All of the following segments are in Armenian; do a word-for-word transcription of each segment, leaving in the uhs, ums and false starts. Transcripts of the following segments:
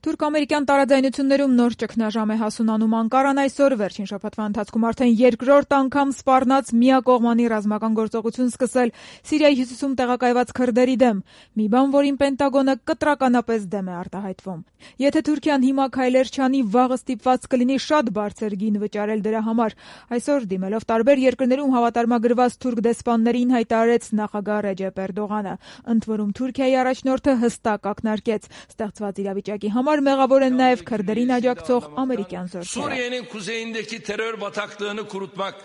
Թուրք-ամերիկյան տարաձայնություններում նոր ճգնաժամ է հասունանում Անկարան այսօր վերջին շաբաթվա ընթացքում արդեն երկրորդ անգամ սպառնաց միակողմանի ռազմական գործողություն սկսել Սիրիայի հյուսիսում տեղակայված քրդերի դեմ, մի բան, որին Պենտագոնը կտրականապես դեմ է արտահայտվում։ Եթե Թուրքիան հիմա քայլեր չանի, վաղը ստիպված կլինի շատ բարձր գին վճարել դրա համար։ Այսօր դիմելով տարբեր երկրներում հավատարմագրված թուրք դեսպաններին հայտարարեց նախագահ Ռեջեփ Էրդողանը, ընդ որում Թուրքիայի առաջնորդը հստակ ակնարկեց ստեղծված իրավիճակի համար մեղավոր են նաև քրդերին աջակցող ամերիկյան զորքերը։ Suriye'nin kuzeyindeki terör bataklığını kurutmak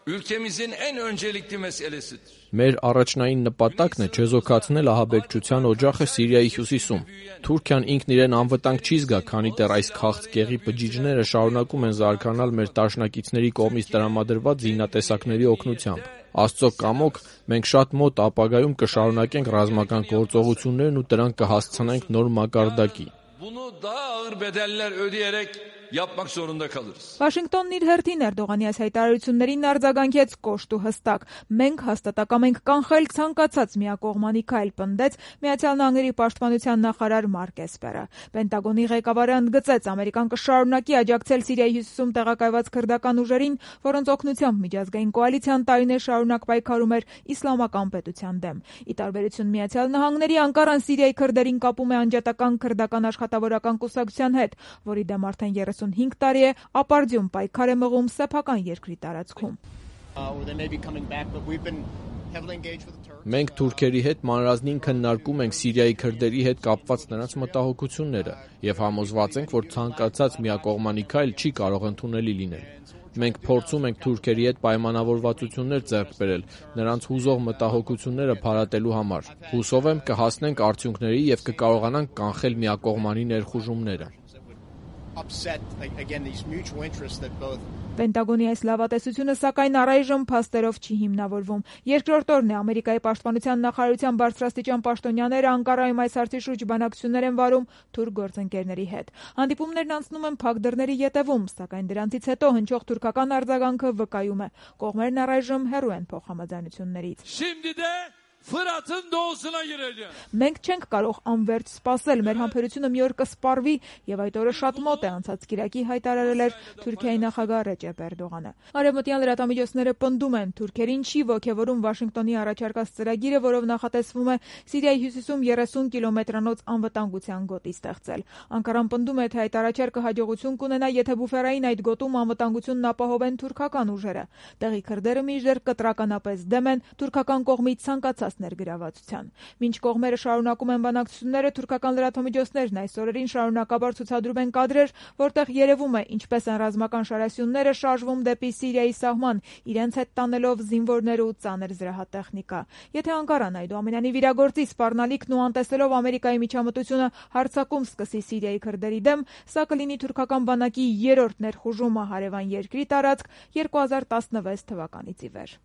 ülkemizin en öncelikli meselesidir. Մեր առաջնային նպատակն է չեզոքացնել ահաբեկչության օջախը Սիրիայի հյուսիսում։ Թուրքիան ինքն իրեն անվտանգ չի զգա, քանի դեռ այս քաղցկեղի բջիջները շարունակում են զարգանալ մեր դաշնակիցների կողմից տրամադրված զինատեսակների օգնությամբ։ Աստծո կամոք, մենք շատ մոտ ապագայում կշարունակենք ռազմական գործողություններն ու դրանք կհասցնենք նոր մակարդակի։ Bunu daha ağır bedeller ödeyerek yapmak zorunda kalırız. Վաշինգտոնն իր հերթին Էրդողանի այս հայտարարություններին արձագանքեց կոշտ ու հստակ։ Մենք հաստատակամ ենք կանխել ցանկացած միակողմանի քայլ, պնդեց Միացյալ Նահանգների պաշտպանության նախարար Մարկ Էսպերը։ Պենտագոնի ղեկավարը ընդգծեց, Ամերիկան կշարունակի աջակցել Սիրիայի հյուսիսում տեղակայված քրդական ուժերին, որոնց օգնությամբ միջազգային կոալիցիան տարիներ շարունակ պայքարում էր իսլամական պետության դեմ։ Ի տարբերություն Միացյալ Նահանգների, Անկարան Սիրիայի քրդերին կապում է անջատական քրդական աշխատավորական կուսակցության հետ, որի դեմ արդեն երեսունհինգ տարի է ապարդյուն պայքար է մղում սեփական երկրի տարածքում։ Մենք թուրքերի հետ մանրազնին քննարկում ենք Սիրիայի քրդերի հետ կապված նրանց մտահոգությունները եւ համոզված ենք, որ ցանկացած միակողմանի քայլ չի կարող ընդունելի լինել։ Մենք փորձում ենք թուրքերի հետ պայմանավորվածություններ ձեռք բերել, նրանց հուզող մտահոգությունները փարատելու համար։ Հուսով եմ կհասնենք արդյունքների եւ կկարողանանք կանխել միակողմանի ներխուժումները։ Պենտագոնի այս լավատեսությունը սակայն առայժմ փաստերով չի հիմնավորվում։ Երկրորդ օրն է Ամերիկայի պաշտպանության նախարարության բարձրաստիճան պաշտոնյաները Անկարայում այս հարցի շուրջ բանակցություններ են վարում թուրք գործընկերների հետ։ Հանդիպումներն անցնում են փակ դռների ետևում, սակայն դրանցից հետո հնչող թուրքական արձագանքը վկայում է, կողմերն առայժմ հեռու են փոխհամաձայնություններից։ Fırat'ın doğusuna gireceğim. Մենք չենք կարող անվերջ սպասել, մեր համբերությունը մի օր կսպառվի եւ այդ օրը շատ մոտ է, անցած կիրակի հայտարարել էր Թուրքիայի նախագահ Ռեջեփ Էրդողանը։ Արևմտյան լրատվամիջոցները պնդում են, թուրքերին չի ոգևորում Վաշինգտոնի առաջարկած ծրագիրը, որով նախատեսվում է Սիրիայի հյուսիսում երեսուն կիլոմետրանոց անվտանգության գոտի ստեղծել։ Անկարան պնդում է, թե այդ առաջարկը հաջողություն կունենա, եթե բուֆերային այդ գոտում անվտանգությունն ապահովեն թուրքական ուժերը։ Տեղի քրդերը մինչդեռ կտրականապես դեմ են թուրքական կողմից ցանկացած ներգրավվածության։ Մինչ կողմերը շարունակում են բանակցությունները, թուրքական լրատվամիջոցներն այս օրերին շարունակաբար ցուցադրում են կադրեր, որտեղ երևում է ինչպես են ռազմական շարասյունները շարժվում դեպի Սիրիայի սահման, իրենց հետ տանելով զինվորներ ու ծանր զրահատեխնիկա։ Եթե Անկարան այդուամենայնիվ իրագործի սպառնալիքն ու անտեսելով Ամերիկայի միջամտությունը հարձակում սկսի Սիրիայի քրդերի դեմ, սա կլինի թուրքական բանակի երրորդ ներխուժումը հարևան երկրի տարածք երկու հազար տասնվեց թվականից ի վեր։